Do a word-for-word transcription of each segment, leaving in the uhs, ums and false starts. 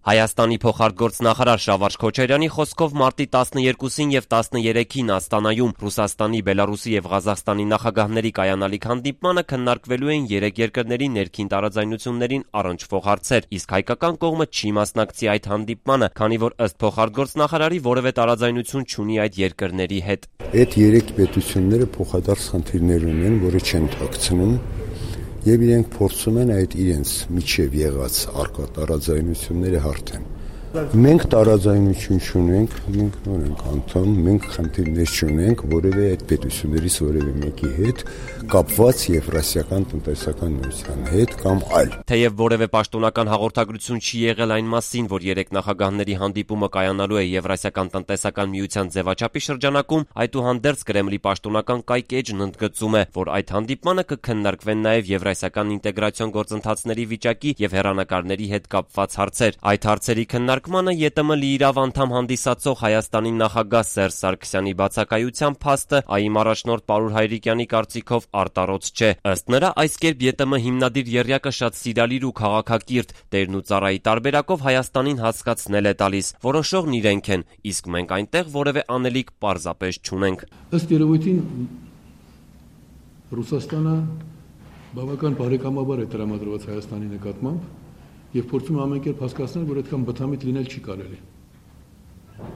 Հայաստանի փոխարտգործնախարար Շավարժ Քոչարյանի խոսքով մարտի տասներկուսին եւ տասներեքին Աստանայում Ռուսաստանի, Բելարուսի եւ Ղազախստանի նախագահների կայանալիք հանդիպմանը քննարկվելու են երեք երկրների ներքին տարաձայնություններին առնչվող հարցեր, իսկ հայկական կողմը չի մասնակցի այդ հանդիպմանը, քանի որ ըստ փոխարտգործնախարարի որևէ տարաձայնություն չունի այդ երկրների հետ։ Այդ երեք պետությունները փոխադարձ խնդիրներ ունեն, որը չեն թաքցնում, եւ իրենք փորձում են այդ իրենց միջև եղած արկա տարաձայնությունները հարթեն։ Մենք տարաձայնություն չունենք, մենք նոր ենք անդամ, մենք խնդիրներ չունենք որևէ այդ պետություններից որևէ մեկի հետ կապված Եվրասիական տնտեսական միության հետ կամ այլ։ Թեև որևէ պաշտոնական հաղորդագրություն չի եղել այն մասին, որ երեք նախագահների հանդիպումը կայանալու է Եվրասիական տնտեսական միության ձևաչափի շրջանակում, այդուհանդերձ Կրեմլի պաշտոնական կայք էջն ընդգծում է, որ այդ հանդիպմանը կքննարկվեն նաև եվրասիական ինտեգրացիոն գործընթացների վիճակի եւ հեռանկարների հետ կապված հարցեր։ Այդ հարցերի քննարկմանը ԵՏՄ լիիրավ անդամ հանդիսացող Հայաստանի նախագահ Սերժ Սարգսյանի բացակայության փաստը ԱԻՄ առաջնորդ Պարուր Հայրիկյանի կարծիքով արտարոց չէ։ Ըստ նրա, այս կերպ ԵՏՄ հիմնադիր եռյակը շատ սիրալիր ու քաղաքակիրթ տերն ու ծառայի տարբերակով Հայաստանին հասկացնել է տալիս, որոշողն իրենք են, իսկ մենք այնտեղ որևէ անելիք պարզապես չունենք։ Ըստ երևույթին Ռուսաստանը բավական բարեկամաբար է տրամադրված Հայաստանի նկատմամբ եւ փորձում ամեն կերպ հասկացնել, որ այդքան բթամիտ լինել չի կարելի։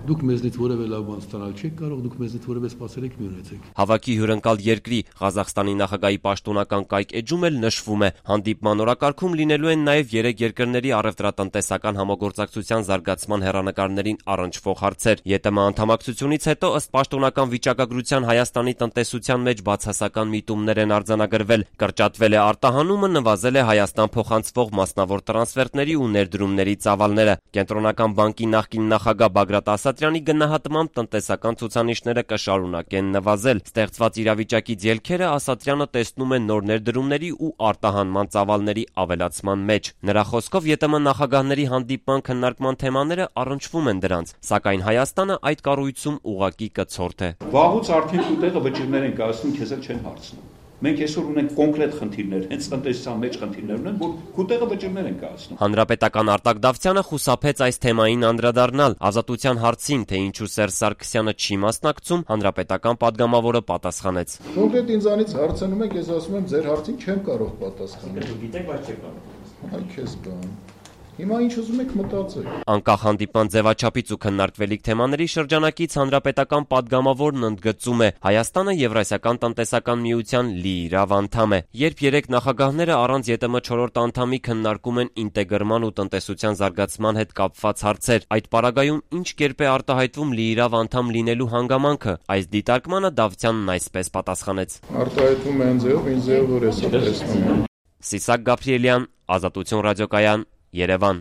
Դուք մեզնից որևէ լավ բան ստանալ չեք կարող, դուք մեզնից որևէ սպասելիք մի ունեցեք։ Հավաքի հյուրընկալ երկրի Ղազախստանի նախագահի պաշտոնական կայք էջում էլ նշվում է, հանդիպման օրակարգում լինելու են նաև երեք երկրների առևտրատնտեսական համագործակցության զարգացման հեռանկարներին առնչվող հարցեր։ ԵՏՄ անդամակցությունից հետո ըստ պաշտոնական վիճակագրության Հայաստանի տնտեսության մեջ բացասական միտումներ են արձանագրվել, կրճատվել է արտահանումը, նվազել է Հայաստան փոխանցվող մասնավոր տրանսֆերտների ու ներդրումների ծավալները։ Կենտրոնական բանկի նախկին նախագահ Բագրատ Ասատրյանի գնահատմամբ տնտեսական ցուցանիշները կշարունակեն նվազել։ Ստեղծված իրավիճակից ելքերը Ասատրյանը տեսնում է նոր ներդրումների ու արտահանման ծավալների ավելացման մեջ։ Նրա խոսքով ԵՏՄ նախագահների հանդիպման քննարկման թեմաները առնչվում են դրանց, սակայն Հայաստանը այդ կառույցում ուղղակի կցորդ է։ Վաղուց արդեն ուտեղը վճիրներ են կայացնում, քեզ էլ չեն հարցնում։ Մենք այսօր ունենք կոնկրետ խնդիրներ, հենց տնտեսության մեջ խնդիրներ ունեն, որ քուտեղը վճիրներ են կայացնում։ Հանրապետական Արտակ Դավթյանը խուսափեց այս թեմային անդրադառնալ։ Ազատության հարցին, թե ինչու Սերժ Սարգսյանը չի մասնակցում, հանրապետական падգամավորը պատասխանեց։ Կոնկրետ ինձանից հարցնում եք, ես ասում եմ, ձեր հարցին չեմ կարող պատասխանել։ Դուք գիտեք, բայց չեք կարող։ Այ քեզ բան։ Հիմա ինչ ուզում եք մտածեք։ Անկախ հանդիպման ձևաչափից ու քննարկվելիք թեմաների շրջանակից հանրապետական падգամավորն ընդգծում է, Հայաստանը Եվրասիական տնտեսական միության լիիրավ անդամ է։ Երբ երեք նախագահները առանց ԵՏՄ չորրորդ անդամի քննարկում են ինտեգրման ու տնտեսության զարգացման հետ կապված հարցեր, այդ պարագայում ինչ կերպ է արտահայտվում լիիրավ անդամ լինելու հանգամանքը։ Այս դիտարկմանը Դավթյանն այսպես պատասխանեց. Արտահայտվում է այն ձևով, ինչ ձևով որ ես տեսնում եմ։ Սիսակ Գաբրիելյան, Ազատություն ռադիոկայան, Երևան։